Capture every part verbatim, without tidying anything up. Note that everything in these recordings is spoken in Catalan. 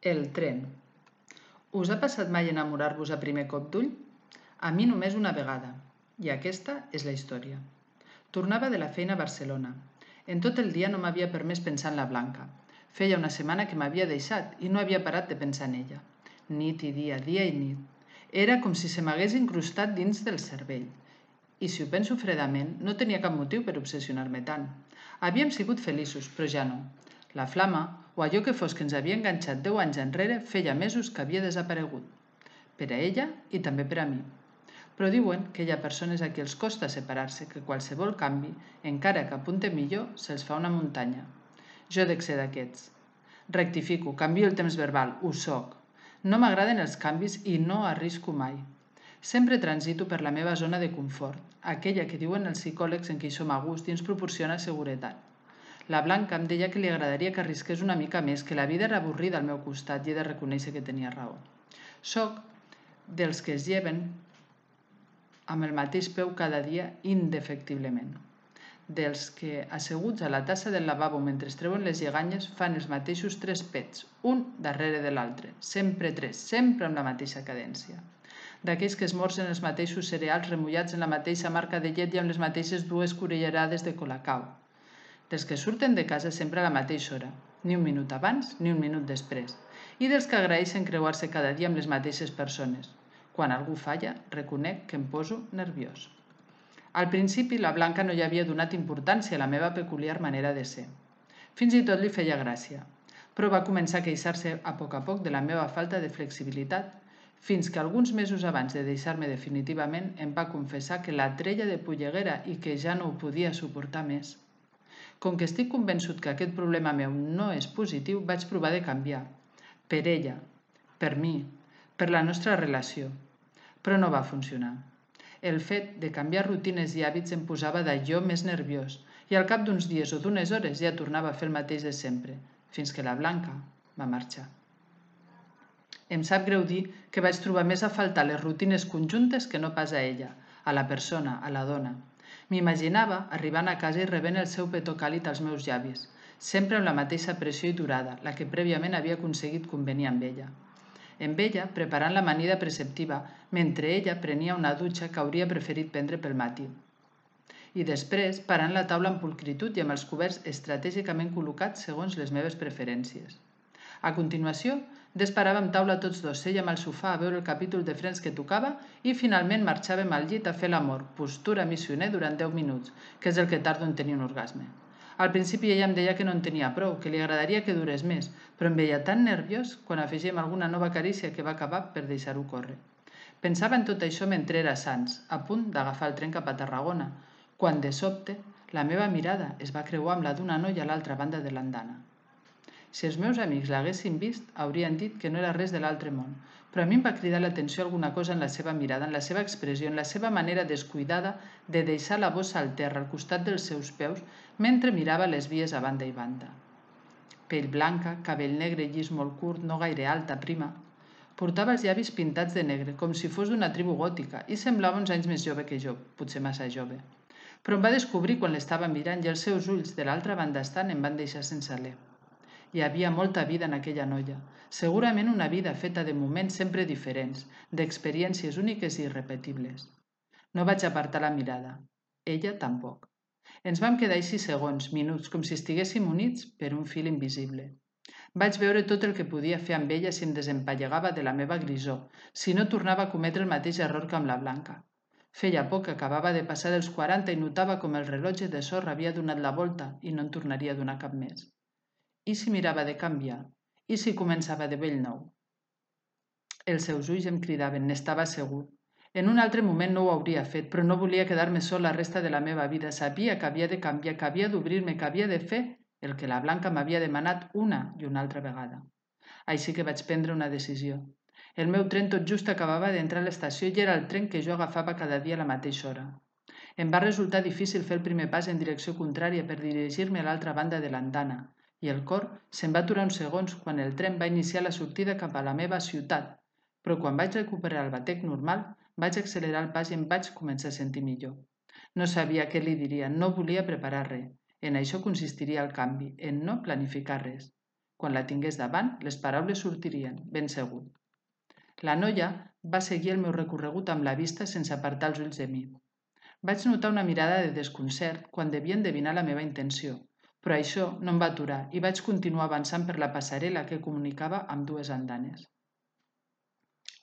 El tren. Us ha passat mai enamorar-vos a primer cop d'ull? A mi només una vegada, i aquesta és la història. Tornava de la feina a Barcelona. En tot el dia no m'havia permès pensar en la Blanca. Feia una setmana que m'havia deixat i no havia parat de pensar en ella. Nit i dia, dia i nit. Era com si se m'hagués incrustat dins del cervell. I si ho penso fredament, no tenia cap motiu per obsessionar-me tant. Havíem sigut feliços, però ja no. La flama, o allò que fos que ens havia enganxat deu anys enrere, feia mesos que havia desaparegut. Per a ella i també per a mi. Però diuen que hi ha persones a qui els costa separar-se, que qualsevol canvi, encara que apunte millor, se'ls fa una muntanya. Jo dec ser d'aquests. Rectifico, canvio el temps verbal, ho soc. No m'agraden els canvis i no arrisco mai. Sempre transito per la meva zona de confort, aquella que diuen els psicòlegs en què hi som a gust i ens proporciona seguretat. La Blanca em deia que li agradaria que arrisqués una mica més, que la vida era avorrida al meu costat i he de reconèixer que tenia raó. Soc dels que es lleven amb el mateix peu cada dia indefectiblement. Dels que, asseguts a la tassa del lavabo mentre es treuen les lleganyes, fan els mateixos tres pets, un darrere de l'altre, sempre tres, sempre amb la mateixa cadència. D'aquells que esmorzen els mateixos cereals remullats en la mateixa marca de llet i amb les mateixes dues cullerades de colacao. Dels que surten de casa sempre a la mateixa hora, ni un minut abans ni un minut després, i dels que agraeixen creuar-se cada dia amb les mateixes persones. Quan algú falla, reconec que em poso nerviós. Al principi, la Blanca no hi havia donat importància a la meva peculiar manera de ser. Fins i tot li feia gràcia, però va començar a queixar-se a poc a poc de la meva falta de flexibilitat, fins que alguns mesos abans de deixar-me definitivament em va confessar que la treia de polleguera i que ja no ho podia suportar més. Com que estic convençut que aquest problema meu no és positiu, vaig provar de canviar. Per ella, per mi, per la nostra relació. Però no va funcionar. El fet de canviar rutines i hàbits em posava d'allò més nerviós i al cap d'uns dies o d'unes hores ja tornava a fer el mateix de sempre, fins que la Blanca va marxar. Em sap greu dir que vaig trobar més a faltar les rutines conjuntes que no pas a ella, a la persona, a la dona. M'imaginava arribant a casa i rebent el seu petó càlid als meus llavis, sempre amb la mateixa pressió i durada, la que prèviament havia aconseguit convenir amb ella. Amb ella, preparant l'amanida preceptiva, mentre ella prenia una dutxa que hauria preferit prendre pel matí. I després, parant la taula amb pulcritud i amb els coberts estratègicament col·locats segons les meves preferències. A continuació, desparàvem taula tots dos, sèiem al sofà a veure el capítol de Friends que tocava i finalment marxàvem al llit a fer l'amor, postura missioner durant deu minuts, que és el que tardo en tenir un orgasme. Al principi ella em deia que no en tenia prou, que li agradaria que durés més, però em veia tan nerviós quan afegíem alguna nova carícia que va acabar per deixar-ho córrer. Pensava en tot això mentre era a Sants, a punt d'agafar el tren cap a Tarragona, quan de sobte la meva mirada es va creuar amb la d'una noia a l'altra banda de l'andana. Si els meus amics l'haguessin vist, haurien dit que no era res de l'altre món, però a mi em va cridar l'atenció alguna cosa en la seva mirada, en la seva expressió, en la seva manera descuidada de deixar la bossa al terra al costat dels seus peus mentre mirava les vies a banda i banda. Pell blanca, cabell negre llis molt curt, no gaire alta, prima. Portava els llavis pintats de negre, com si fos d'una tribu gòtica, i semblava uns anys més jove que jo, potser massa jove. Però em va descobrir quan l'estava mirant i els seus ulls de l'altra banda estant em van deixar sense alè. Hi havia molta vida en aquella noia, segurament una vida feta de moments sempre diferents, d'experiències úniques i irrepetibles. No vaig apartar la mirada. Ella tampoc. Ens vam quedar així segons, minuts, com si estiguéssim units per un fil invisible. Vaig veure tot el que podia fer amb ella si em desempallegava de la meva grisor, si no tornava a cometre el mateix error que amb la Blanca. Feia poc que acabava de passar dels quaranta i notava com el rellotge de sorra havia donat la volta i no en tornaria a donar cap més. I si mirava de canviar? I si començava de bell nou? Els seus ulls em cridaven, n'estava segur. En un altre moment no ho hauria fet, però no volia quedar-me sol la resta de la meva vida. Sabia que havia de canviar, que havia d'obrir-me, que havia de fer el que la Blanca m'havia demanat una i una altra vegada. Així que vaig prendre una decisió. El meu tren tot just acabava d'entrar a l'estació i era el tren que jo agafava cada dia a la mateixa hora. Em va resultar difícil fer el primer pas en direcció contrària per dirigir-me a l'altra banda de l'andana, i el cor se'm va aturar uns segons quan el tren va iniciar la sortida cap a la meva ciutat, però quan vaig recuperar el batec normal, vaig accelerar el pas i em vaig començar a sentir millor. No sabia què li diria, no volia preparar res. En això consistiria el canvi, en no planificar res. Quan la tingués davant, les paraules sortirien, ben segur. La noia va seguir el meu recorregut amb la vista sense apartar els ulls de mi. Vaig notar una mirada de desconcert quan devia endevinar la meva intenció, però això no em va aturar i vaig continuar avançant per la passarel·la que comunicava amb dues andanes.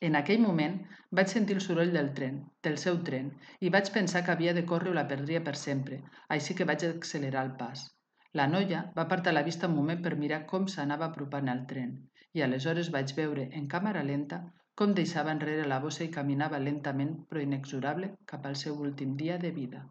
En aquell moment vaig sentir el soroll del tren, del seu tren, i vaig pensar que havia de córrer o la perdria per sempre, així que vaig accelerar el pas. La noia va apartar la vista un moment per mirar com s'anava apropant al tren, i aleshores vaig veure, en càmera lenta, com deixava enrere la bossa i caminava lentament però inexorable cap al seu últim dia de vida.